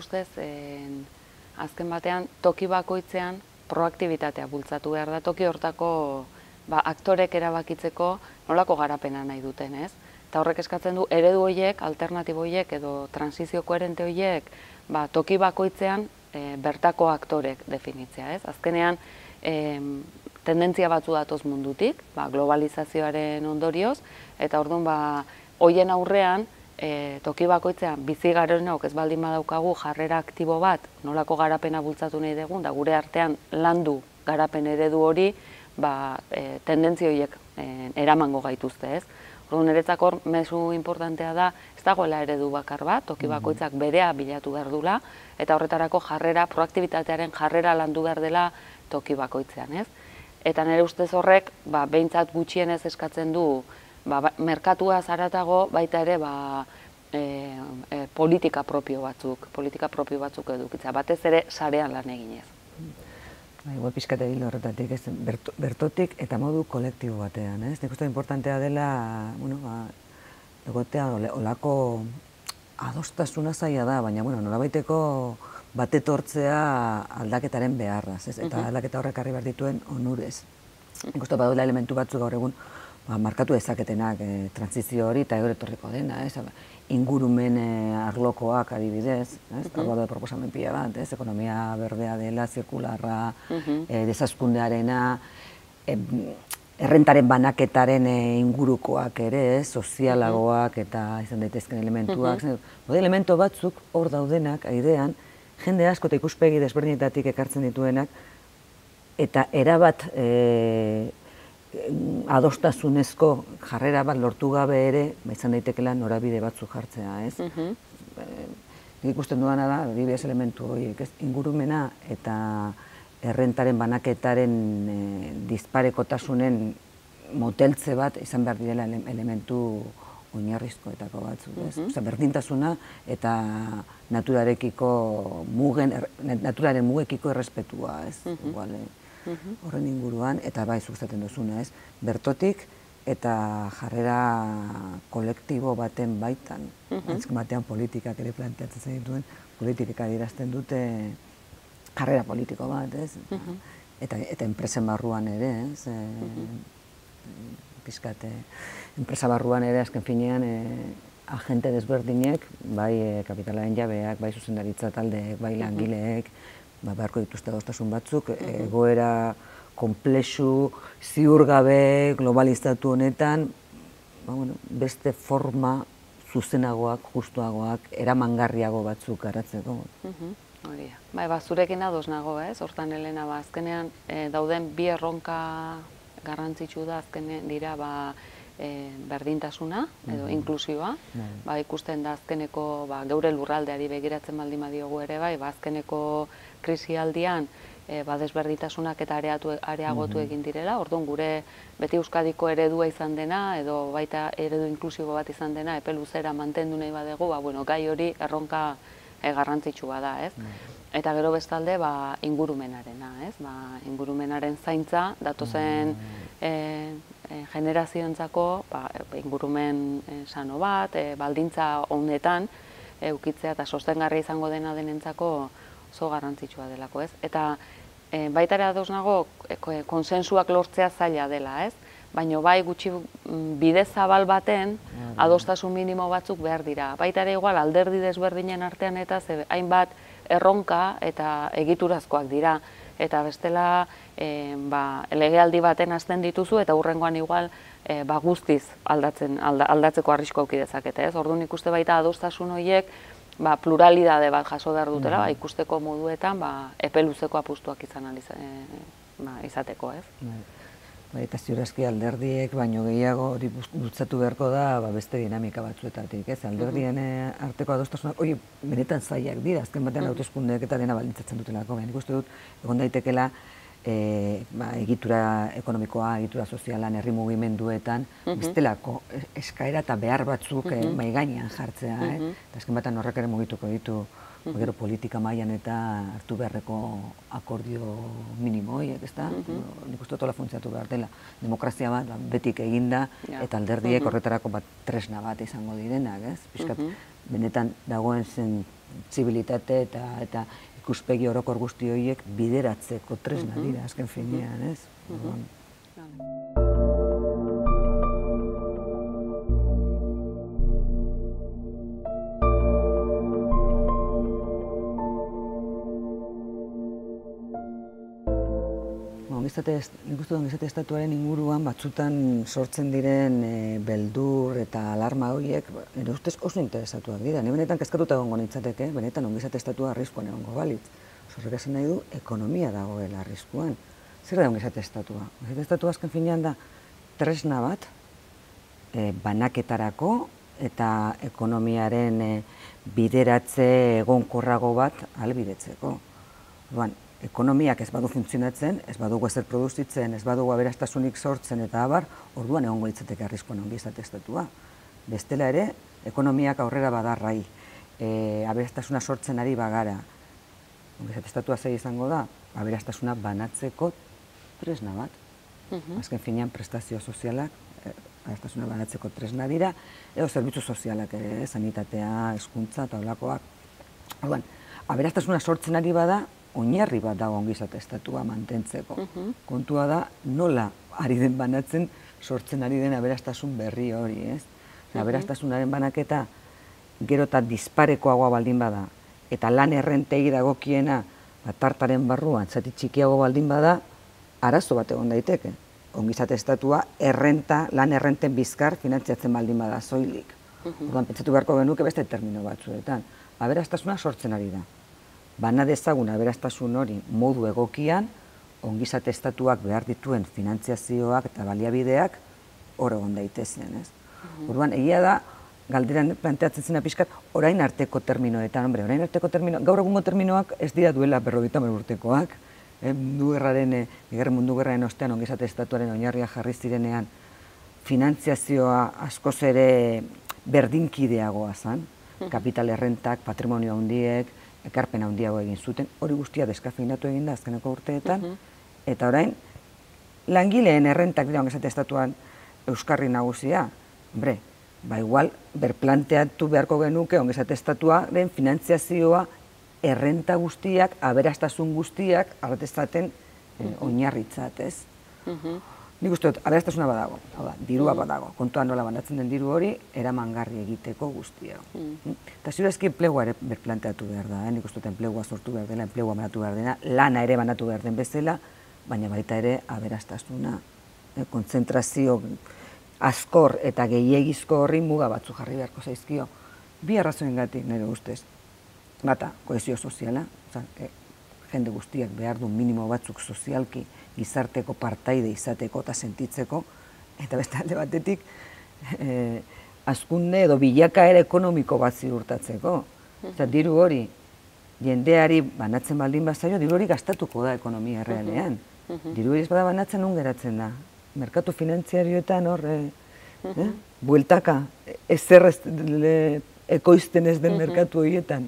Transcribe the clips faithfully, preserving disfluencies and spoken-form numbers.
ustez, azken batean, toki bakoitzean proaktibitatea bultzatu behar da, toki hortako aktorek erabakitzeko nolako garapena nahi duten, ez? Eta horrek eskatzen du, eredu horiek, alternatibo horiek edo transizio koherente horiek, toki bakoitzean bertako aktorek definitzea, ez? Azkenean, tendentzia batzu datoz mundutik, globalizazioaren ondorioz, eta orduan, horien aurrean, toki bakoitzean bizi garenok ez baldin badaukagu jarrera aktibo bat, nolako garapena bultzatu nahi dugun, da gure artean landu garapen eredu hori, tendentzia horiek eramango gaituzte, ez? Orduan, niretzako hor, mezu importantea da, ez dagoela eredu bakar bat, toki bakoitzak berea bilatu behar dula, eta horretarako jarrera, proaktibitatearen jarrera landu behar dela toki bakoitzean, ez? Eta nire ustez horrek, behintzat gutxienez eskatzen du, merkatua zaratago baita ere politika propio batzuk, politika propio batzuk edukitza, batez ere sarean lan eginez. Igual pixkate hil horretatik, bertotik eta modu kolektibo batean, ez? Nik uste importantea dela, bueno, egotea olako adostasuna zaila da, baina, bueno, nolabaiteko batetortzea aldaketaren beharraz, ez? Eta aldaketa horrek harri behar dituen onurez. Nik uste baduela elementu batzuk gaur egun markatu dezaketenak transizio hori eta eure etorriko dena, ingurumen arlokoak adibidez, hau da proposamen pila bat, ekonomia berdea dela, zirkularra, desazkundearena, errentaren banaketaren ingurukoak ere, sozialagoak eta izan daitezken elementuak. Bode elementu batzuk hor daudenak, aidean, jende asko eta ikuspegi desberdinetatik ekartzen dituenak, eta erabat adostasunezko jarrera bat lortu gabe ere, izan daitekela norabide batzu jartzea, ez? Nik ikusten duana da, adibidez elementu horiek, ez? Ingurumena eta errentaren banaketaren disparekotasunen moteltze bat izan behar direla elementu oinarrizkoetako batzu, ez? Osa, berdintasuna eta naturarekiko mugen, naturaren mugekiko errespetua, ez? Horren inguruan, eta bai zuztaten duzuna, ez? Bertotik eta jarrera kolektibo baten baitan. Azken batean politikak ere planteatzen zen dituen, politikak adierazten dute jarrera politiko bat, ez? Eta enpresen barruan ere, ez? Piskat, enpresa barruan ere azken finean agente desberdinek, bai kapitalaren jabeak, bai zuzendaritza taldeek, bai langileek, beharko dituzte adostasun batzuk, egoera konplexu, ziurgabe, globalizatu honetan, beste forma zuzenagoak, justuagoak, eramangarriago batzuk garatzeko. Hori da. Bai, zurekin ados nago, ez? Hortan, Elena, azkenean dauden bi erronka garrantzitsu da azkenean dira berdintasuna edo inklusioa. Ikusten da azkeneko geure lurraldeari begiratzen baldin badiogu ere bai, azkeneko krisialdian desberdintasunak eta areagotu egin direla. Orduan gure beti Euskadiko eredua izan dena edo baita eredu inklusibo bat izan dena epe luzera mantendu nahi badegu, gai hori erronka garrantzitsua da, ez? Eta gero bestalde ingurumenarena, ez? Ingurumenaren zaintza datozen generazioentzako ingurumen sano bat, baldintza honetan eukitzea eta sostengarri izango dena denentzako oso garrantzitsua delako, ez? Eta baita ere ados nago konsensuak lortzea zaila dela, ez? Baina bai gutxi bide zabal baten adostasun minimo batzuk behar dira. Baita ere igual alderdi desberdinen artean eta hainbat erronka eta egiturazkoak dira. Eta bestela legealdi baten hasten dituzu eta hurrengoan igual guztiz aldatzeko arrisko auki dezakete, ez? Orduan ikuste baita adostasun horiek pluralidade bat jaso behar dutela, ikusteko moduetan epe luzeko apustuak izateko, ez? Eta ziurazki alderdiek, baino gehiago hori bultzatu beharko da beste dinamika batzuetatik, ez? Alderdien arteko adostasunak, hori benetan zailak dira, azken batean hauteskundeek eta dena baldintzatzen dutelako, baina ikuste dut, egon daitekela egitura ekonomikoa, egitura sozialan, herri mugimenduetan, bestelako eskaera eta behar batzuk mai gainean jartzea, eta azken batean horrek ere mugituko ditu gero politika mailan eta hartu beharreko akordio minimo horiek, ezta? Nik uste dut hola funtzionatu behar dela. Demokrazia bat betik eginda eta alderdiek horretarako tresna bat izango direnak, ez? Piskat, benetan dagoen zen zibilitate eta eta ikuspegi orokor guzti horiek bideratzeko tresna dira, azken finean, ez? Nik uste ongizate estatuaren inguruan batzutan sortzen diren beldur eta alarma horiek, nire ustez oso interesatuak dira. Ni benetan kezkatuta egongo nintzateke, benetan ongizate estatua arriskuan egongo balitz. Horrek esan nahi du, ekonomia dagoela arriskuan. Zer da ongizate estatua? Ongizate estatua azken finean da tresna bat, banaketarako eta ekonomiaren bideratze egonkorrago bat ahalbidetzeko. Ekonomiak ez badu funtzionatzen, ez badugu ezer produzitzen, ez badugu aberastasunik sortzen eta abar, orduan egongo litzateke arriskuan ongizate estatua. Bestela ere, ekonomiak aurrera badarrai, aberastasuna sortzen ari bagara. Ongizate estatua zei izango da, aberastasuna banatzeko tresna bat. Azken finean prestazio sozialak, aberastasuna banatzeko tresna dira, edo zerbitzu sozialak ere, sanitatea, hezkuntza eta holakoak. Orduan, aberastasuna sortzen ari bada, oinarri bat dago ongizate estatua mantentzeko. Kontua da nola ari den banatzen sortzen ari den aberastasun berri hori, ez? Aberastasunaren banaketa gero eta disparekoagoa baldin bada eta lan errentei dagokiena tartaren barruan zati txikiago baldin bada, arazo bat egon daiteke. Ongizate estatua errenta, lan errenten bizkar finantziatzen baldin bada soilik. Orduan pentsatu beharko genuke beste termino batzuetan. Aberastasuna sortzen ari da. Bana dezagun aberastasun hori modu egokian, ongizate estatuak behar dituen finantziazioak eta baliabideak hor egon daitezen, ez? Orduan, egia da, galderan planteatzen zena pixkat, orain arteko terminoetan, hombre, orain arteko termino, gaur egungo terminoak ez dira duela berrogeita hamar urtekoak, mundu gerraren, bigarren mundu gerraren ostean ongizate estatuaren oinarria jarri zirenean, finantziazioa askoz ere berdinkideagoa zan, kapital errentak, patrimonio handiek, ekarpen handiago egin zuten, hori guztia deskafeinatu egin da azkeneko urteetan, eta orain, langileen errentak dira ongizate estatuan euskarri nagusia, hombre, ba igual, berplanteatu beharko genuke ongizate estatuaren finantziazioa errenta guztiak, aberastasun guztiak, arretezaten oinarritzat, ez? Nik uste dut, aberastasuna badago, dirua badago, kontuan nola banatzen den diru hori, eramangarri egiteko guztia. Eta ziurazki enplegua ere berplanteatu behar da, nik uste dut enplegua sortu behar dela, enplegua banatu behar dena, lana ere banatu behar den bezala, baina baita ere aberastasuna, kontzentrazio askor eta gehiegizko horri muga batzu jarri beharko zaizkio. Bi arrazoengatik nire ustez, bata, kohesio soziala, jende guztiak behar du minimo batzuk sozialki gizarteko partaide izateko eta sentitzeko, eta beste alde batetik hazkunde edo bilakaera ekonomiko bat ziurtatzeko. Diru hori jendeari banatzen baldin bazaio, diru hori gastatuko da ekonomia errealean. Diru hori ez bada banatzen non geratzen da. Merkatu finantziarioetan hor, bueltaka, ezer ekoizten ez den merkatu horietan.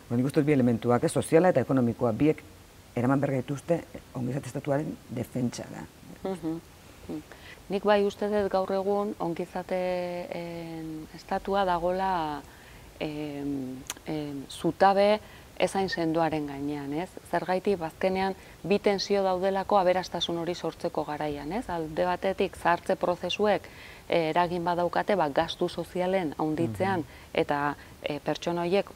Nik uste dut bi elementuak, soziala eta ekonomikoa, biek eraman behar gaituzte ongizate estatuaren defentsa da. Nik bai uste dut gaur egun ongizate estatua dagoela zutabe ezain sendoaren gainean, ez? Zergaiti, bazkenean, bi tensio daudelako aberastasun hori sortzeko garaian, ez? Alde batetik, zahartze prozesuek eragin badaukate, gastu sozialen handitzean, eta pertsona horiek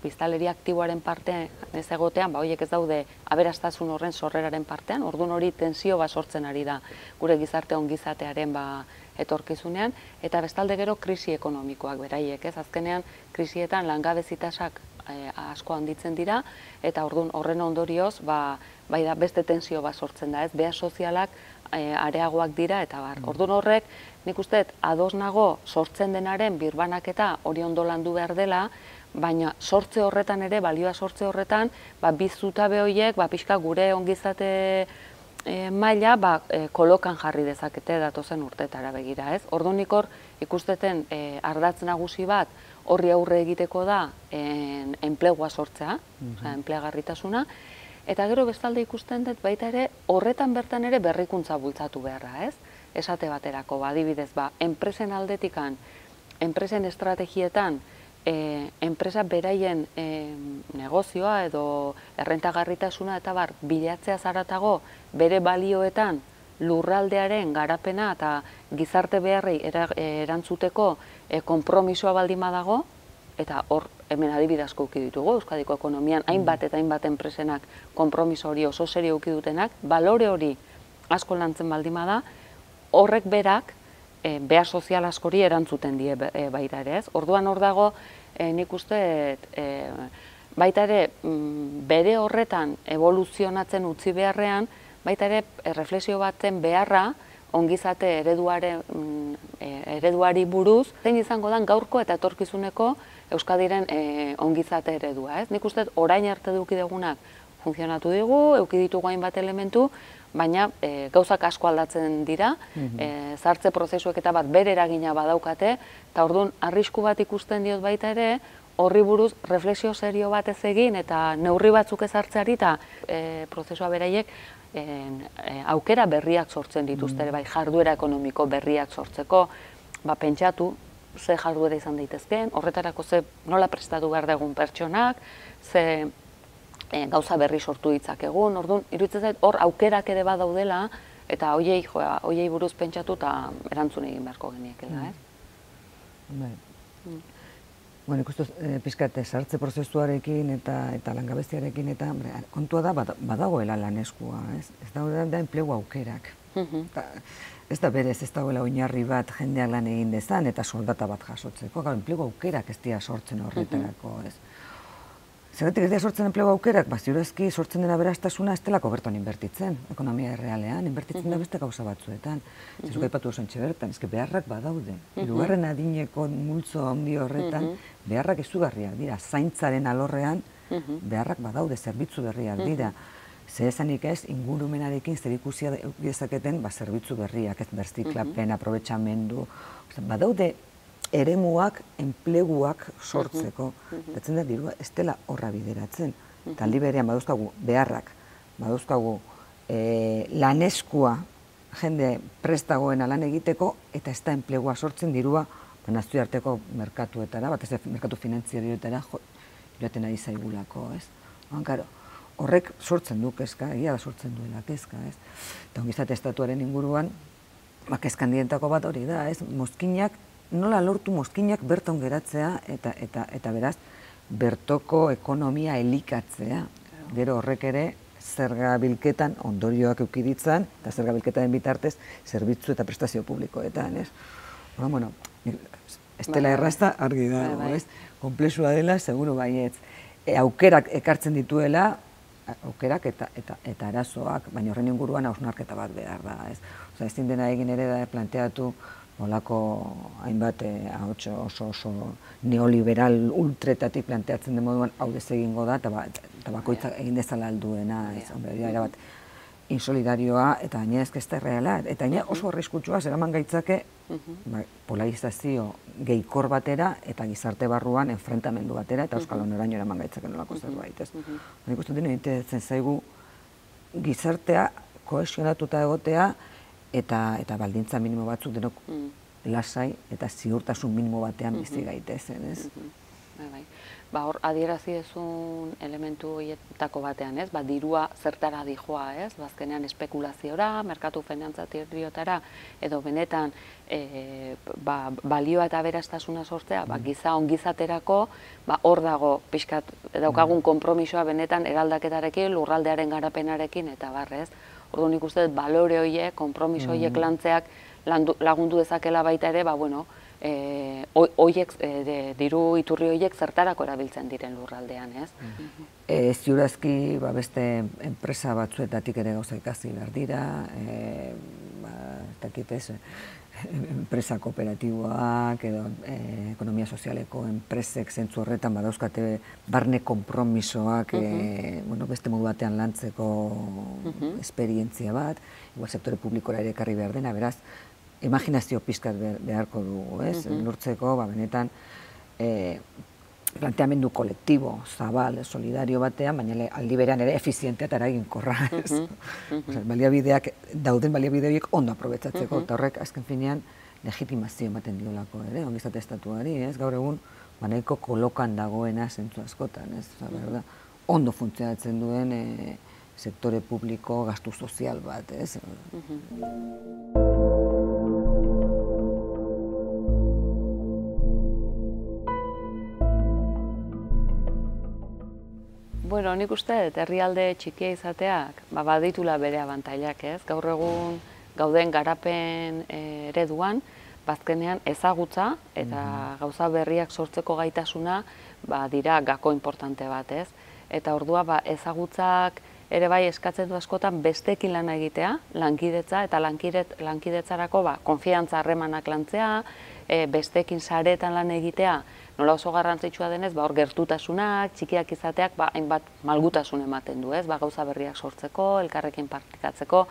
biztanleri aktiboaren parte ez egotean, horiek ez daude aberastasun horren sorreraren partean, orduan hori tensio bat sortzen ari da gure gizarte ongizatearen etorkizunean, eta bestalde gero krisi ekonomikoak beraiek, ez? Azkenean, krisietan langabezitasak asko handitzen dira, eta orduan horren ondorioz, bai da beste tensio bat sortzen da, ez? Beha sozialak areagoak dira, eta bar. Orduan horrek, nik uste, ados nago sortzen denaren birbanaketa hori ondo landu behar dela, baina sortze horretan ere, balioa sortze horretan, bi zutabe horiek, pixka gure ongizate maila kolokan jarri dezakete datozen urtetara begira, ez? Orduan nik hor ikusteten ardatz nagusi bat horri aurre egiteko da enplegua sortzea, enplegarritasuna, eta gero bestalde ikusten dut baita ere horretan bertan ere berrikuntza bultzatu beharra, ez? Esate baterako, adibidez, enpresen aldetikan, enpresen estrategietan e, enpresa beraien e, negozioa edo errentagarritasuna eta bar bilatzea zaratago bere balioetan lurraldearen garapena eta gizarte beharrei erantzuteko e, konpromisoa baldin badago, eta hor hemen adibide asko uki ditugu, Euskadiko ekonomian hainbat eta hainbat enpresenak konpromiso hori oso serio uki dutenak, balore hori asko lantzen baldin bada, horrek berak e, behar sozial askori erantzuten die e, baita ere, ez? Orduan hor dago, e, nik uste e, baita ere bere horretan evoluzionatzen utzi beharrean, baita ere erreflexio baten beharra ongizate ereduare, e, ereduari buruz, zein izango dan gaurko eta etorkizuneko Euskadiren e, ongizate eredua, ez? Nik uste orain arte duki dugunak funtzionatu digu, euki ditugu hainbat elementu, baina e, gauzak asko aldatzen dira, e, zartze prozesuek eta bat bere eragina badaukate, eta orduan arrisku bat ikusten diot baita ere, horri buruz reflexio serio bat ez egin eta neurri batzuk ezartzeari eta e, prozesua beraiek e, e, aukera berriak sortzen dituzte, bai jarduera ekonomiko berriak sortzeko, ba, pentsatu, ze jarduera izan daitezkeen, horretarako ze nola prestatu behar dugun pertsonak, ze e, gauza berri sortu ditzakegun, orduan, iruditzen zait, hor aukerak ere badaudela, eta hoiei, joa, hoiei buruz pentsatu eta erantzun egin beharko geniekela, ez? Bai. Bueno, ikustuz, e, pizkat, sartze prozesuarekin eta eta langabestiarekin eta kontua da badagoela laneskua, ez? Ez daude da enplegu aukerak. Ez da berez, ez dagoela oinarri bat jendeak lan egin dezan eta soldata bat jasotzeko, gau, enplegu aukerak ez dira sortzen horretarako, ez? Zergatik ez dira sortzen enplegu aukerak, ba, ziurazki sortzen dena berastasuna ez delako berton inbertitzen, ekonomia errealean, inbertitzen da beste gauza batzuetan. Zizuk aipatu osantxe bertan, ez beharrak badaude. Hirugarren adineko multzo handi horretan, beharrak izugarriak dira, zaintzaren alorrean, beharrak badaude, zerbitzu berriak dira. Ze esanik ez, ingurumenarekin zerikusia dezaketen zerbitzu berriak, ez berziklapen, aprobetxamendu, badaude eremuak, enpleguak sortzeko. Datzen da, dirua, ez dela horra bideratzen. Taldi berean badauzkagu beharrak, badauzkagu laneskua jende prestagoena lan egiteko, eta ez da enplegua sortzen dirua nazioarteko merkatuetara, bat ez merkatu finanziarioetara joaten ari zaigulako, ez? Karo, horrek sortzen du kezka, egia da sortzen duela kezka, ez? Eta ongizate estatuaren inguruan, kezkan dientako bat hori da, ez? Mozkinak, nola lortu mozkinak berton geratzea eta beraz, bertoko ekonomia elikatzea. Gero horrek ere, zerga bilketan ondorioak eukiditzan, eta zerga bilketaren bitartez, zerbitzu eta prestazio publikoetan, ez? Bueno, ez dela errazta argi dago, ez? Konplexua dela, seguru baietz. Aukerak ekartzen dituela, aukerak eta arazoak, baina horren inguruan hausnarketa bat behar da, ez? Oza, ezin dena egin ere da planteatu nolako hainbat oso oso neoliberal ultretatik planteatzen den moduan hau dez egingo da, eta bakoitzak egin dezala alduena, ez? Era bat, insolidarioa, eta gaina ez da erreala, eta gaina oso arriskutsua zeraman gaitzake polarizazio gehikor batera eta gizarte barruan enfrentamendu batera eta euskal honoraino eraman gaitzake nolako zerbait, ez? Nik uste dut interesatzen zaigu gizartea kohesionatuta egotea eta baldintza minimo batzuk denok lasai eta ziurtasun minimo batean bizi gaitezen, ez? Ba, hor, adierazi dezun elementu horietako batean, ez? Ba, dirua zertara dijoa, ez? Bazkenean espekulaziora, merkatu finantzatirriotara, edo benetan balioa eta aberastasuna sortzea, giza ongizaterako, hor dago pixkat daukagun konpromisoa benetan eraldaketarekin, lurraldearen garapenarekin, eta barrez. Orduan nik uste dut balore horiek, konpromiso horiek lantzeak lagundu dezakela baita ere, ba, bueno, diru iturri horiek zertarako erabiltzen diren lurraldean, ez? Ziurazki beste enpresa batzuetatik ere gauza ikasi behar dira, enpresa kooperatiboak edo ekonomia sozialeko enpresek zentzu horretan badauzkate barne konpromisoak beste modu batean lantzeko esperientzia bat, igual sektore publikora ere ekarri behar dena, beraz, imaginazio pizkat beharko dugu, ez? Lortzeko, benetan, planteamendu kolektibo, zabal, solidario batean, baina aldi berean ere efizientea eta eraginkorra, ez? Baliabideak, dauden baliabide horiek ondo aprobetsatzeko, eta horrek, azken finean, legitimazio ematen diolako ere, ongizate estatuari, ez? Gaur egun, ba, nahiko kolokan dagoena zentzu askotan, ez? Osa, berda, ondo funtzionatzen duen e, sektore publiko gastu sozial bat, ez? Bueno, nik uste dut herrialde txikia izateak ba, baditula bere abantailak, ez? Gaur egun gauden garapen e, ereduan, bazkenean ezagutza eta gauza berriak sortzeko gaitasuna ba, dira gako importante bat, ez? Eta ordua ba, ezagutzak ere bai eskatzen du askotan besteekin lana egitea, lankidetza eta lankidet, lankidetzarako ba, konfiantza harremanak lantzea, e, besteekin saretan lan egitea, nola oso garrantzitsua denez, ba, hor gertutasunak, txikiak izateak, ba, hainbat malgutasun ematen du, ez? Ba, gauza berriak sortzeko, elkarrekin praktikatzeko.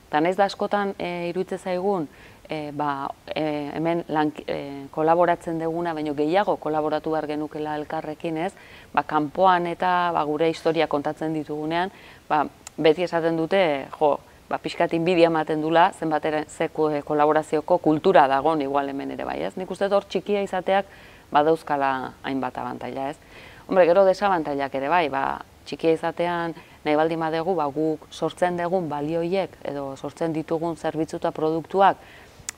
Eta nahiz da askotan e, iruditzen zaigun, e, ba, e, hemen lan, e, kolaboratzen duguna, baino gehiago kolaboratu behar genukela elkarrekin, ez? Ba, kanpoan eta ba, gure historia kontatzen ditugunean, ba, beti esaten dute, jo, ba, pixkat inbidia ematen dula, zenbat ze kolaborazioko kultura dagoen igual hemen ere bai, ez? Nik uste hor txikia izateak badauzkala hainbat abantaila, ez? Hombre, gero desabantailak ere bai, ba, txikia izatean nahi baldin badegu, ba, guk sortzen dugun balioiek edo sortzen ditugun zerbitzu eta produktuak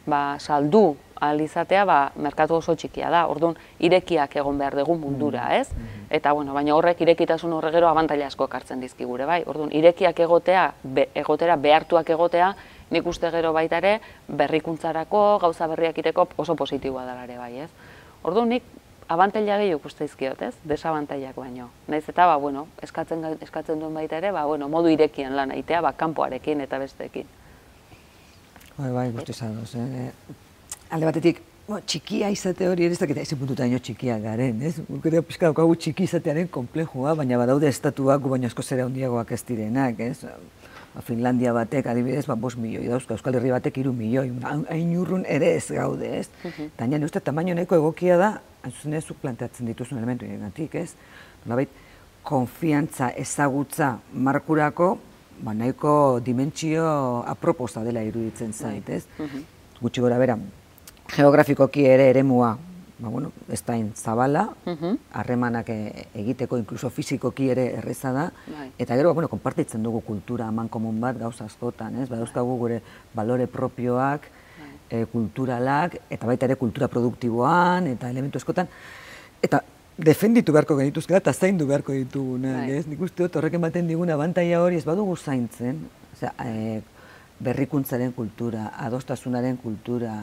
ba, saldu ahal izatea, ba, merkatu oso txikia da. Orduan, irekiak egon behar dugu mundura, ez? Eta, bueno, baina horrek irekitasun horre gero abantaila asko ekartzen dizkigure, bai? Orduan, irekiak egotea, be, egotera, behartuak egotea, nik uste gero baita ere, berrikuntzarako, gauza berriak ireko oso positiboa dela ere, bai, ez? Orduan, nik abantaila gehiago uste izkiot, ez? Desabantailak baino. Naiz eta, ba, bueno, eskatzen, eskatzen duen baita ere, ba, bueno, modu irekian lan egitea, ba, kanpoarekin eta besteekin. Bai, bai, guzti zadoz, eh? Alde batetik, bo, txikia izate hori ere ez dakita ezin puntutaino txikia garen, ez? Guk ere pixka daukagu txiki izatearen komplejua, baina badaude estatuak gu baino asko zera handiagoak ez direnak, ez? Ba, Finlandia batek, adibidez, ba, bost milioi dauzka, Euskal Herri batek hiru milioi, hain urrun ere ez gaude, ez? Eta nire uste, tamaino nahiko egokia da, hain zuk planteatzen dituzun elementu egatik, ez? Nolabait, konfiantza, ezagutza, markurako, ba, nahiko dimentsio aproposa dela iruditzen zait, ez? Gutxi gora bera, geografikoki ere eremua, ba, bueno, ez da zabala, harremanak egiteko, inkluso fizikoki ere erreza da, eta gero, bueno, konpartitzen dugu kultura aman komun bat gauza askotan, ez? Badauzkagu gure balore propioak, kulturalak, eta baita ere kultura produktiboan, eta elementu askotan, eta defenditu beharko genituzkela eta zaindu beharko ditugunak, ez? Nik uste dut horrek ematen digun abantaila hori ez badugu zaintzen, berrikuntzaren kultura, adostasunaren kultura,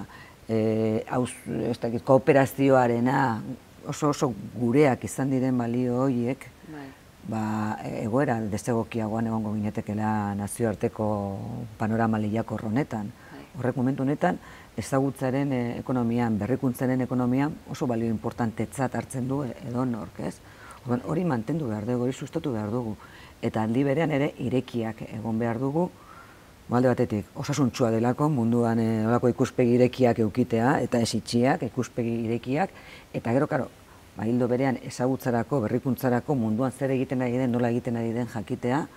kooperazioarena, oso oso gureak izan diren balio horiek, egoera desegokiagoan egongo ginetekela nazioarteko panorama lehiakor honetan. Horrek momentu honetan, ezagutzaren ekonomian, berrikuntzaren ekonomian oso balio importantetzat hartzen du edonork, ez? Hori mantendu behar dugu, hori sustatu behar dugu. Eta aldi berean ere irekiak egon behar dugu, alde batetik, osasuntsua delako, munduan olako ikuspegi irekiak eukitea, eta ez itxiak, ikuspegi irekiak, eta gero, karo, hildo berean ezagutzarako, berrikuntzarako, munduan zer egiten ari den, nola egiten ari den jakitea,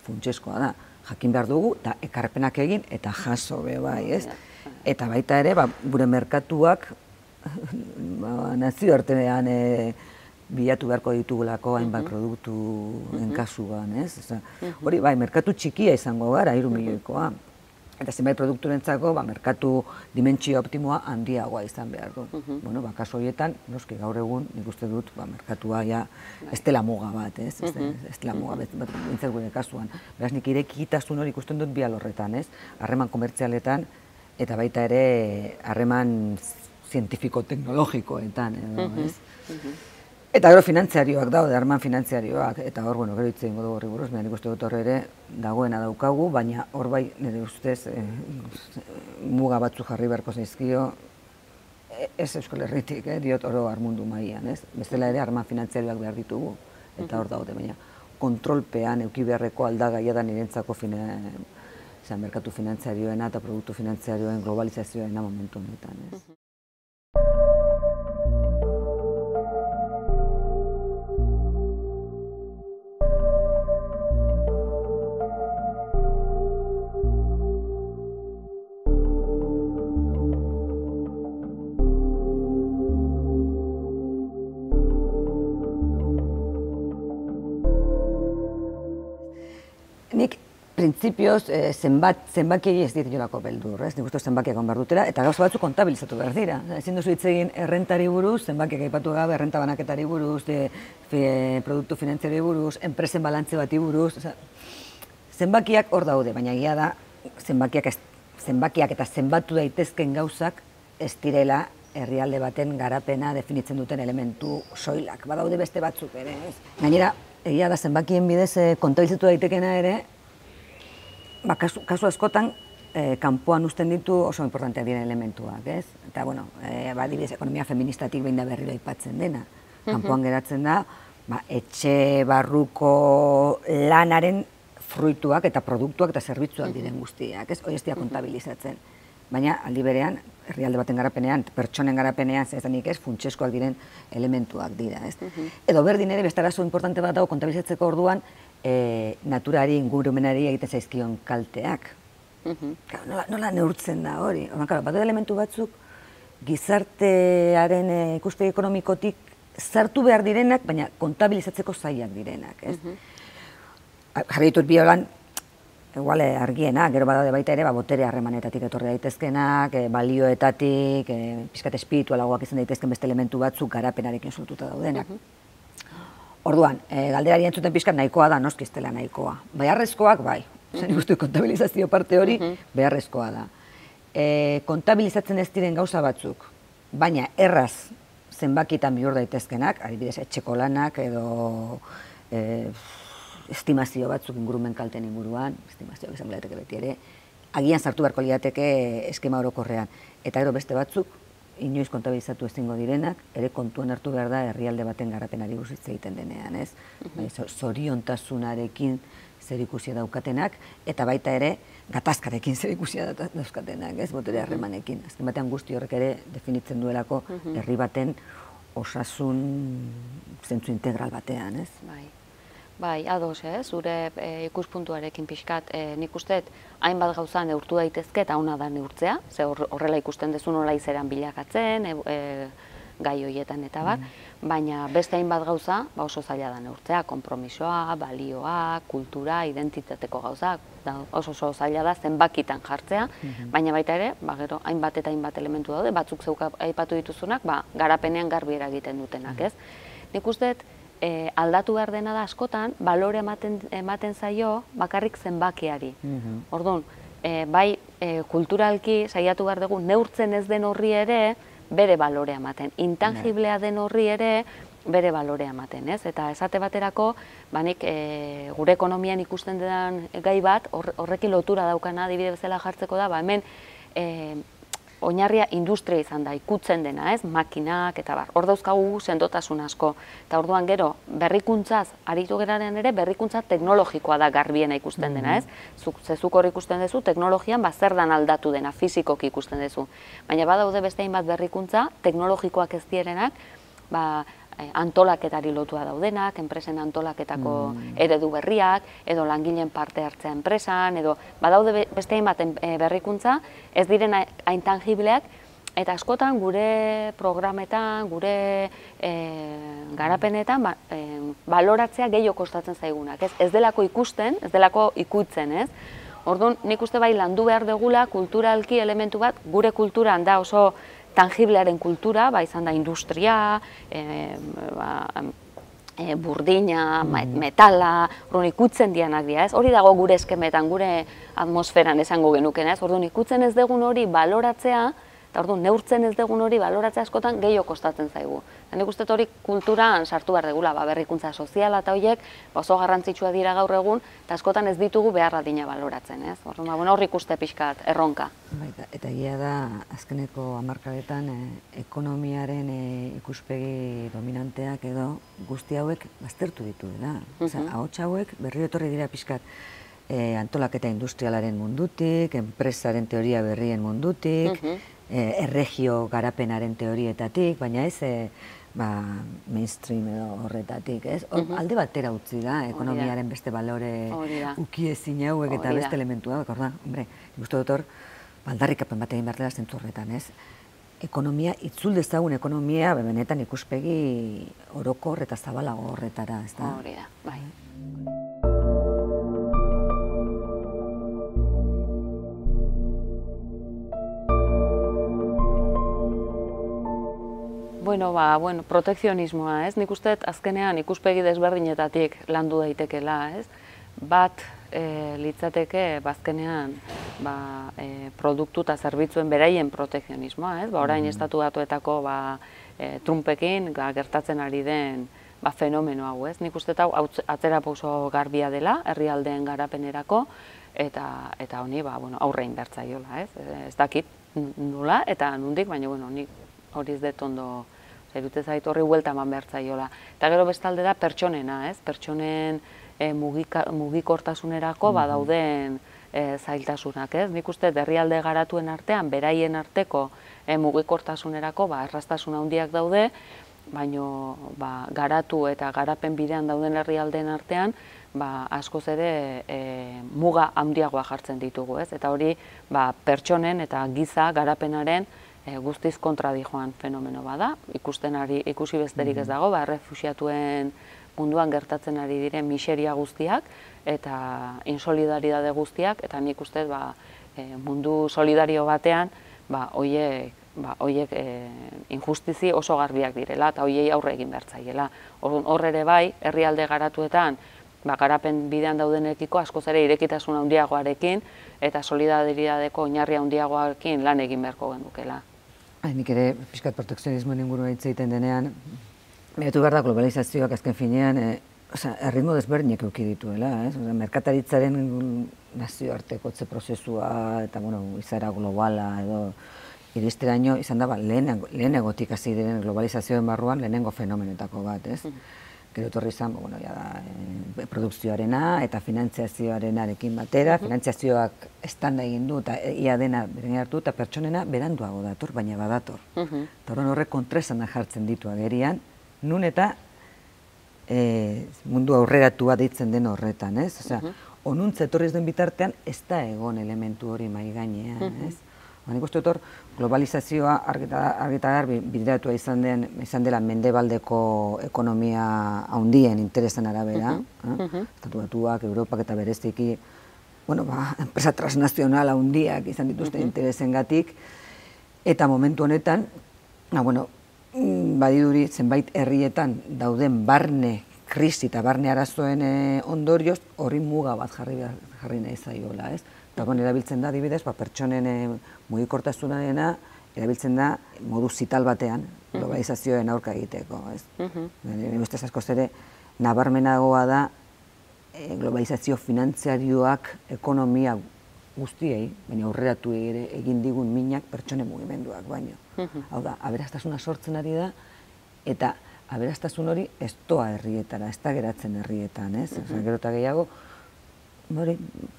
funtsezkoa da. Jakin behar dugu, eta ekarpenak egin, eta jaso be bai, ez? Eta baita ere, gure merkatuak nazioartean bilatu beharko ditugulako hainbat produktu enkasuan, ez? Hori, bai, merkatu txikia izango gara, hiru milioikoa. Eta zenbait produkturentzako, merkatu dimentsio optimoa handiagoa izan behar du. Bueno, kasu horietan, noski gaur egun, nik uste dut, merkatua ja ez dela muga bat, ez? Ez dela muga bat, bintzat gure kasuan. Beraz, nik irekitasun hori ikusten dut bi alorretan, ez? Harreman komertzialetan, eta baita ere harreman zientifiko-teknologikoetan, edo, ez? Eta gero finantziarioak daude, harreman finantziarioak, eta hor, bueno, gero hitz egingo dugu horri buruz, nik uste dut hor ere dagoena daukagu, baina hor bai, nire ustez, muga batzu jarri beharko zaizkio, ez Euskal Herritik, diot oro mundu mailan, ez? Bestela ere harreman finantziarioak behar ditugu, eta hor daude, baina kontrolpean euki beharreko aldagaia da nirentzako merkatu finantziarioena eta produktu finantziarioen globalizazioena momentu honetan, ez? printzipioz, zenbat, zenbakiei ez ditulako beldur, ez? Nik uste zenbakiak on behar dutela, eta gauza batzu kontabilizatu behar dira. Ezin duzu hitz egin errentari buruz, zenbakiak aipatu gabe, errenta banaketari buruz, produktu finanziari buruz, enpresen balantze bati buruz, zenbakiak hor daude, baina egia da, zenbakiak, zenbakiak eta zenbatu daitezken gauzak ez direla herrialde baten garapena definitzen duten elementu soilak. Badaude beste batzuk ere, ez? Gainera, egia da zenbakien bidez kontabilizatu daitekena ere, Ba, kasu, kasu askotan, eh, kanpoan uzten ditu oso importanteak diren elementuak, ez? Eta, bueno, eh, ba, adibidez, ekonomia feministatik behin da berriro aipatzen dena. Kanpoan geratzen da, ba, etxe barruko lanaren fruituak eta produktuak eta zerbitzuak diren guztiak, ez? Hori ez dira kontabilizatzen. Baina, aldi berean, herrialde baten garapenean, pertsonen garapenean, zezanik ez, funtseskoak diren elementuak dira, ez? Edo berdin ere, beste arazo importante bat dago kontabilizatzeko orduan, E, naturari, ingurumenari egiten zaizkion kalteak. Claro, nola, nola neurtzen da hori? Claro, badu elementu batzuk gizartearen e, ikuspegi ekonomikotik sartu behar direnak, baina kontabilizatzeko zailak direnak. Ez? Jarri ditut biolan, igual argiena, gero badaude baita ere, ba, botere harremanetatik etorri daitezkenak, e, balioetatik, e, pixkat espiritualagoak izan daitezken beste elementu batzuk garapenarekin sortuta daudenak. Orduan, galderari entzuten pixkat nahikoa da, noski ez dela nahikoa. Beharrezkoak, bai. Zer ikustu kontabilizazio parte hori, beharrezkoa da. Kontabilizatzen ez diren gauza batzuk, baina erraz zenbakitan bihur daitezkenak, adibidez etxeko lanak edo estimazio batzuk ingurumen kalten inguruan, estimazioak izango lirateke beti ere, agian sartu beharko lirateke eskema orokorrean. Eta gero beste batzuk, inoiz kontabilizatu ezingo direnak, ere kontuan hartu behar da herrialde baten garapenari buruz hitz egiten denean, ez? Zoriontasunarekin zerikusia daukatenak, eta baita ere gatazkarekin zerikusia dauzkatenak, ez? Botere harremanekin. Azken batean guzti horrek ere definitzen duelako herri baten osasun zentzu integral batean, ez? Bai. Bai, ados, eh? Zure ikuspuntuarekin pixkat, nik usteet hainbat gauza neurtu daitezke eta ona da neurtzea, ze horrela ikusten dezu nola izeran bilakatzen, gai horietan eta bar, baina beste hainbat gauza oso zaila da neurtzea, konpromisoa, balioa, kultura, identitateko gauzak, oso oso zaila da zenbakitan jartzea, baina baita ere, gero hainbat eta hainbat elementu daude, batzuk zeuk aipatu dituzunak, garrapenean garbi eragiten dutenak, ez? Nik usteet, aldatu behar dena da askotan, balore ematen zaio bakarrik zenbakiari. Orduan, bai kulturalki saiatu behar dugu neurtzen ez den horri ere bere balorea ematen. Intangiblea den horri ere bere balorea ematen, ez? Eta esate baterako, banik gure ekonomian ikusten den gai bat, horrekin lotura daukana adibide bezala jartzeko da, ba hemen oinarria industria izan da, ikutzen dena, ez, makinak eta bar. Hor dauzkagu sendotasun asko. Eta orduan gero, berrikuntzaz, aritu geraren ere, berrikuntza teknologikoa da garbiena ikusten dena, ez? Zezuk hor ikusten duzu, teknologian zer dan aldatu dena, fizikoki ikusten duzu. Baina badaude beste hainbat berrikuntza, teknologikoak ez dierenak, ba, antolaketari lotua daudenak, enpresen antolaketako eredu berriak, edo langileen parte hartzea enpresan, edo badaude beste hainbat berrikuntza, ez diren hain tangibleak, eta askotan gure programetan, gure garapenetan, baloratzea gehiago kostatzen zaigunak. Ez delako ikusten, ez delako ikutzen, ez? Orduan, nik uste bai landu behar dugula kulturalki elementu bat, gure kulturan da oso tangiblearen kultura, ba, izan da industria, burdina, metala, orduan ikutzen dianak dira, ez? Hori dago gure eskemetan, gure atmosferan esango genuken, ez? Orduan ikutzen ez dugun hori baloratzea, eta orduan neurtzen ez dugun hori baloratzea askotan gehiago kostatzen zaigu. Nik uste hori kulturan sartu behar degula, berrikuntza soziala eta horiek oso garrantzitsua dira gaur egun, eta askotan ez ditugu behar adina baloratzen, ez? Hor ikuste pixkat, erronka. Eta egia da, azkeneko hamarkadetan ekonomiaren ikuspegi dominanteak edo guzti hauek baztertu ditu, da? Ahots hauek berriro etorri dira pixkat antolaketa industrialaren mundutik, enpresaren teoria berrien mundutik, erregio garapenaren teorietatik, baina ez mainstream edo horretatik, ez? Alde batera utzi da, ekonomiaren beste balore ukiezin hauek eta beste elementu hauek, orda, hombre, ikustu dut hor, aldarrikapen bat egin behar dela zentzu horretan, ez? Ekonomia, itzul dezagun ekonomia, benetan ikuspegi orokor eta zabalago horretara, ez da? Hori da, bai. Bueno, ba, bueno, protekzionismoa, ez? Nik uste azkenean ikuspegi desberdinetatik landu daitekela, ez? Bat e, litzateke bazkenean ba, e, produktu eta zerbitzuen beraien protekzionismoa, ez? Ba, orain estatu batuetako ba, e, Trumpekin ga, gertatzen ari den ba, fenomeno hau, ez? Nik uste hau atzera pauso garbia dela herrialdeen garapenerako eta eta honi ba, bueno, aurre inbertzaiola, ez? Ez dakit nola eta nondik, baina bueno, nik hori ez dut ondo, zerutez zait horri huelta eman behar zaiola. Eta gero bestalde da pertsonena, ez? Pertsonen e, mugika, mugikortasunerako badauden e, zailtasunak, ez? Nik uste herrialde garatuen artean, beraien arteko e, mugikortasunerako ba, erraztasun handiak daude, baino ba, garatu eta garapen bidean dauden herrialdeen artean, ba, askoz ere e, muga handiagoa jartzen ditugu, ez? Eta hori ba, pertsonen eta giza garapenaren E, guztiz kontra dijoan fenomeno bada, ikusten ari, ikusi besterik ez dago, ba, refuxiatuen munduan gertatzen ari diren miseria guztiak eta insolidaridade guztiak, eta nik uste ba, e, mundu solidario batean ba, oiek, ba, oiek e, injustizi oso garbiak direla eta oiei aurre egin bertzaiela. Hor ere bai, herrialde garatuetan ba, garapen bidean daudenekiko askoz ere irekitasun handiagoarekin eta solidaridadeko oinarri handiagoarekin lan egin beharko gendukela. Nik ere, pixkat protekzionismoen ingurua hitz egiten denean, behatu behar da globalizazioak azken finean, erritmo desberdinak eduki dituela, ez? Merkataritzaren nazioartekotze prozesua eta, bueno, izaera globala edo iristeraino izan da, lehenegotik hasi diren globalizazioen barruan lehenengo fenomenetako bat, ez? Gero etorri izan, bueno, ja da, produkzioarena eta finantziazioarenarekin batera, finantziazioak estanda egin du eta ia dena beren hartu eta pertsonena beranduago dator, baina badator. Eta horren horrek kontraesana jartzen ditu agerian, nun eta mundu aurreratua deitzen den horretan, ez? Osea, onuntza etorriz den bitartean ez da egon elementu hori mai gainean, ez? Nik uste dut globalizazioa argi eta garbi bideratua izan dela mendebaldeko ekonomia handien interesen arabera, Estatu Batuak, Europak eta bereziki, bueno, ba, enpresa transnazional handiak izan dituzten interesengatik, eta momentu honetan, ba, bueno, badiduri zenbait herrietan dauden barne krisi eta barne arazoen ondorioz horri muga bat jarri nahi zaiola, ez? Eta erabiltzen da, adibidez, pertsonen mugikortasunarena erabiltzen da modu zital batean globalizazioen aurka egiteko. Nire ustez askoz ere nabarmenagoa da globalizazio finantziarioak ekonomia guztiei, baina aurreratu ere egin digun minak pertsonen mugimenduak baino. Hau da, aberastasuna sortzen ari da eta aberastasun hori ez doa herrietara, ez da geratzen herrietan, ez? Gero eta gehiago,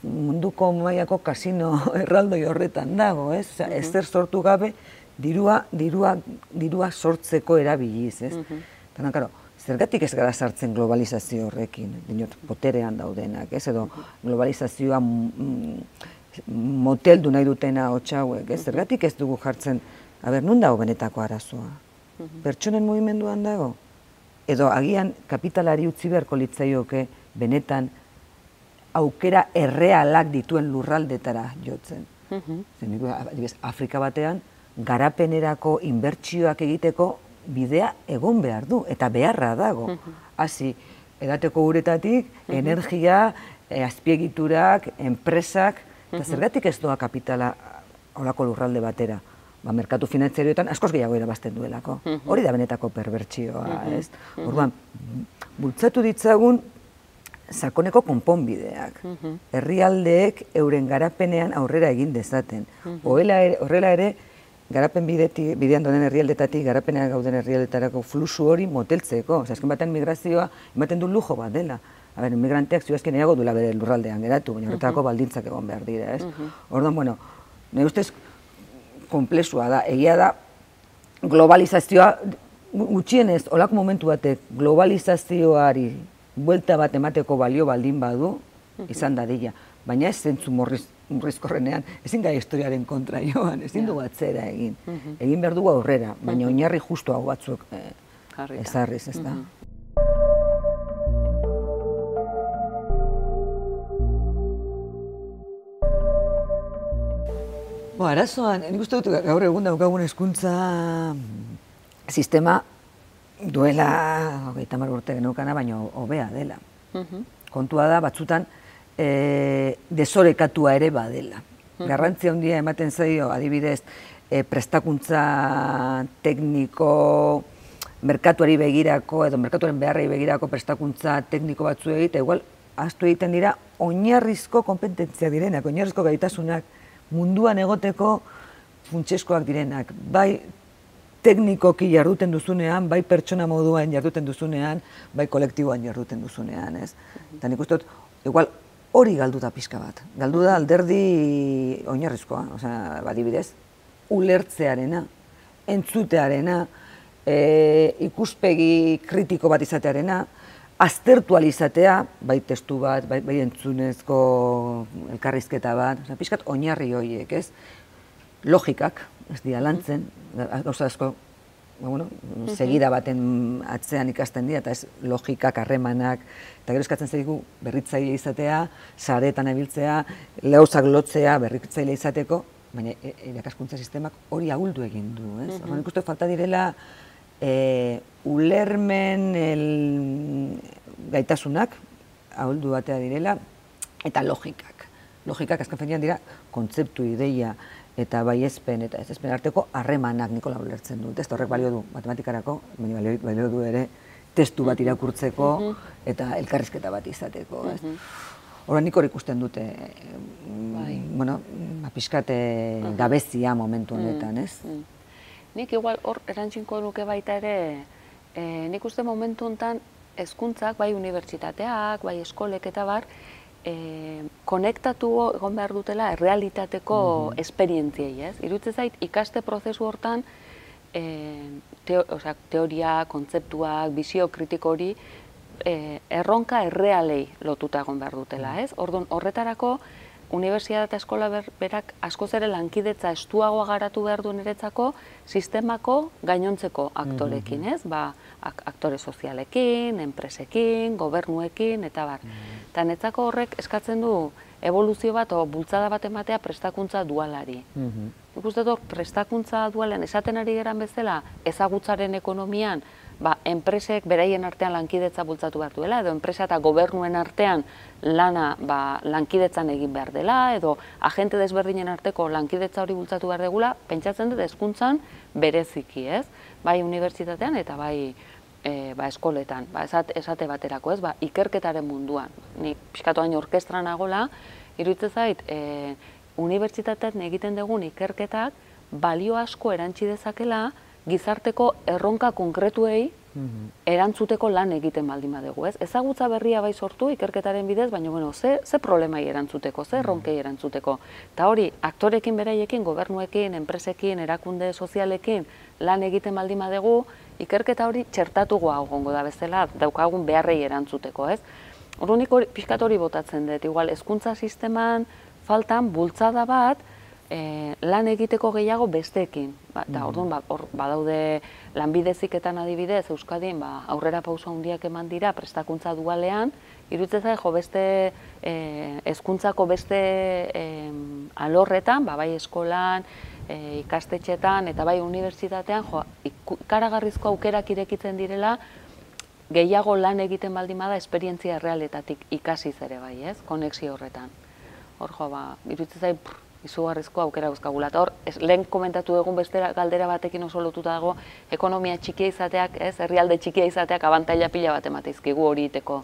munduko mailako kasino erraldoi horretan dago, ez? Ezer sortu gabe dirua sortzeko erabiliz, ez? Eta, karo, zergatik ez gara sartzen globalizazio horrekin, dinot, poterean daudenak, ez? Edo globalizazioa moteldu nahi dutena hotxauek, ez? Zergatik ez dugu jartzen, aber, nun dago benetako arazoa? Pertsonen mugimenduan dago? Edo agian kapitalari utzi beharko litzaioke benetan aukera errealak dituen lurraldetara jotzen. Afrika batean, garapenerako inbertsioak egiteko bidea egon behar du, eta beharra dago. Hasi, edateko uretatik, energia, azpiegiturak, enpresak, eta zergatik ez doa kapitala horako lurralde batera. Merkatu finantzarioetan askoz gehiago irabazten duelako. Hori da benetako perbertsioa, ez? Orduan, bultzatu ditzagun sakoneko konponbideak. Herrialdeek euren garapenean aurrera egin dezaten. Horrela ere, garapen bidean donen herrialdetatik, garapenean gauden herrialdetarako fluxu hori moteltzeko. Azken batean migrazioa ematen du lujo bat dela. Migranteak zioazken eago duela bere lurraldean geratu, baina horretarako baldintzak egon behar dira, ez? Orduan, bueno, nire ustez komplexua da, egia da, globalizazioa, gutxienez, olako momentu batek, globalizazioari buelta bat emateko balio baldin badu, izan dadila. Baina ez zentzu murrizkorrenean, ezin gai historiaren kontra joan, ezin dugu atzera egin. Egin behar dugu aurrera, baina oinarri justu hau batzuk ezarriz, ez da. Arazoan, nik uste dut gaur egun daukagun hezkuntza sistema duela hogeita hamar urte geneukana, baina hobea dela. Kontua da, batzutan, desorekatua ere badela. Garrantzia handia ematen zaio, adibidez, prestakuntza tekniko, merkatuari begirako, edo merkatuaren beharrei begirako prestakuntza tekniko batzu egite, igual, ahaztu egiten dira, oinarrizko kompetentzia direnak, oinarrizko gaitasunak, munduan egoteko funtsezkoak direnak, bai teknikoki jarduten duzunean, bai pertsona moduan jarduten duzunean, bai kolektiboan jarduten duzunean, ez? Eta nik uste dut, igual, hori galdu da pixka bat. Galdu da alderdi oinarrizkoa, osea, badibidez, ulertzearena, entzutearena, ikuspegi kritiko bat izatearena, aztertu alizatea, bai testu bat, bai entzunezko elkarrizketa bat, pixkat oinarri horiek, ez? Logikak, ez dira lantzen, gauza asko, segida baten atzean ikasten dira, eta ez logikak, harremanak, eta gero eskatzen zaigu berritzaile izatea, saretan ebiltzea, lehauzak lotzea, berritzaile izateko, baina irakaskuntza sistemak hori ahuldu egin du, ez? Horren ikusten falta direla ulermen gaitasunak, ahuldu batea direla, eta logikak. Logikak azken finean dira kontzeptu, ideia, eta baiezpen eta ezezpen arteko harremanak Nikola ulertzen dut. Ez horrek balio du matematikarako, balio du ere testu bat irakurtzeko eta elkarrizketa bat izateko. Horren nik hor ikusten dute, bueno, pixkat gabezia momentu honetan, ez? Nik igual hor erantzinko nuke baita ere, nik uste momentu honetan hezkuntzak, bai unibertsitateak, bai eskolek eta bar, konektatu egon behar dutela errealitateko esperientziei, ez? Iruditzen zait, ikaste prozesu hortan teoria, kontzeptuak, bizio kritiko hori erronka errealei lotuta egon behar dutela, ez? Orduan, horretarako, unibertsitate eta eskola berak askoz ere lankidetza estuagoa garatu behar du niretzako sistemako gainontzeko aktorekin, ez? Ba, aktore sozialekin, enpresekin, gobernuekin, eta bar. Eta netzako horrek eskatzen du evoluzio bat o bultzada bat ematea prestakuntza dualari. Nik uste dut prestakuntza dualean esaten ari geran bezala ezagutzaren ekonomian, ba, enpresek beraien artean lankidetza bultzatu behar duela, edo enpresa eta gobernuen artean lana lankidetzan egin behar dela, edo agente desberdinen arteko lankidetza hori bultzatu behar degula, pentsatzen dut hezkuntzan bereziki, ez? Bai unibertsitatean eta bai eskoletan, esate baterako, ez? Ikerketaren munduan. Ni pixkatu hain orkestra nagola, iruditzen zait, unibertsitatean egiten dugun ikerketak balio asko erantzi dezakela gizarteko erronka konkretuei erantzuteko lan egiten baldin badegu, ez? Ezagutza berria bai sortu ikerketaren bidez, baina, bueno, ze problemai erantzuteko, ze erronkei erantzuteko. Eta hori, aktorekin beraiekin, gobernuekin, enpresekin, erakunde sozialekin lan egiten baldin badegu, ikerketa hori txertatugoa egongo da bezala, daukagun beharrei erantzuteko, ez? Orduan nik pixkat hori botatzen dut, igual, hezkuntza sisteman faltan bultzada bat, lan egiteko gehiago besteekin. Eta orduan, badaude lanbide heziketan adibidez, Euskadin aurrera pauso handiak eman dira prestakuntza dualean, iruditzen zait, jo, beste hezkuntzako beste alorretan, bai eskolan, ikastetxetan eta bai unibertsitatean, jo, ikaragarrizko aukerak irekitzen direla, gehiago lan egiten baldin bada esperientzia errealetatik ikasiz ere bai, ez? Konexio horretan. Hor, jo, ba, iruditzen zait, izugarrizko aukera guzkagula. Eta hor, lehen komentatu egun beste galdera batekin oso lotuta dago, ekonomia txikia izateak, ez, herrialde txikia izateak abantaila pila bat emateizkigu hori iteko.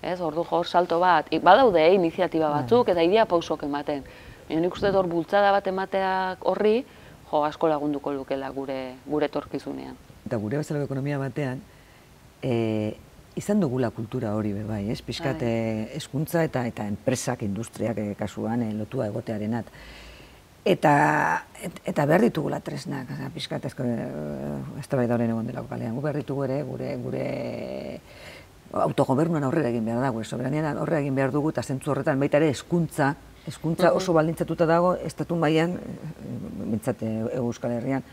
Ez, ordu hor salto bat, badaude iniziatiba batzuk eta idea pausok ematen. Nik uste hor bultzada bat emateak horri, jo, asko lagunduko lukela gure etorkizunean. Eta gure bezalako ekonomia batean, izan dugula kultura hori bai, ez? Pixkat hezkuntza eta enpresak, industriak kasuan lotua egotearenat. Eta behar ditugula tresnak, pixkat ez da bai dauren egon delako kalean. Gu behar ditugu ere, gure autogobernuan aurrera egin behar dago, soberanian aurrera egin behar dugu, eta zentzu horretan baita ere hezkuntza, hezkuntza oso baldintzatuta dago, estatu mailan, bintzat Euskal Herrian,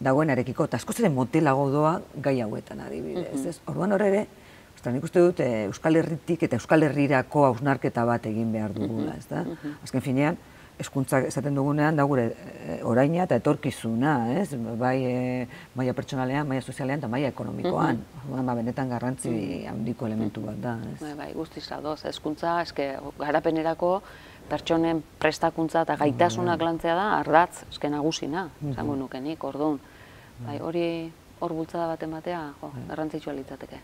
dagoenarekiko, eta askoz ere motelago doa gai hauetan adibidez. Orduan hor ere, nik uste dut Euskal Herritik eta Euskal Herrirako hausnarketa bat egin behar dugula, ez da? Azken finean, hezkuntza esaten dugunean da gure oraina eta etorkizuna, ez? Bai maila pertsonalean, maila sozialean eta maila ekonomikoan. Orduan benetan garrantzi handiko elementu bat da, ez? Bai, bai, guztiz ados. Hezkuntza eske garapenerako pertsonen prestakuntza eta gaitasunak lantzea da ardatz eske nagusina, esango nuke nik. Orduan, bai, hori hor bultzada bat ematea, jo, garrantzitsua litzateke.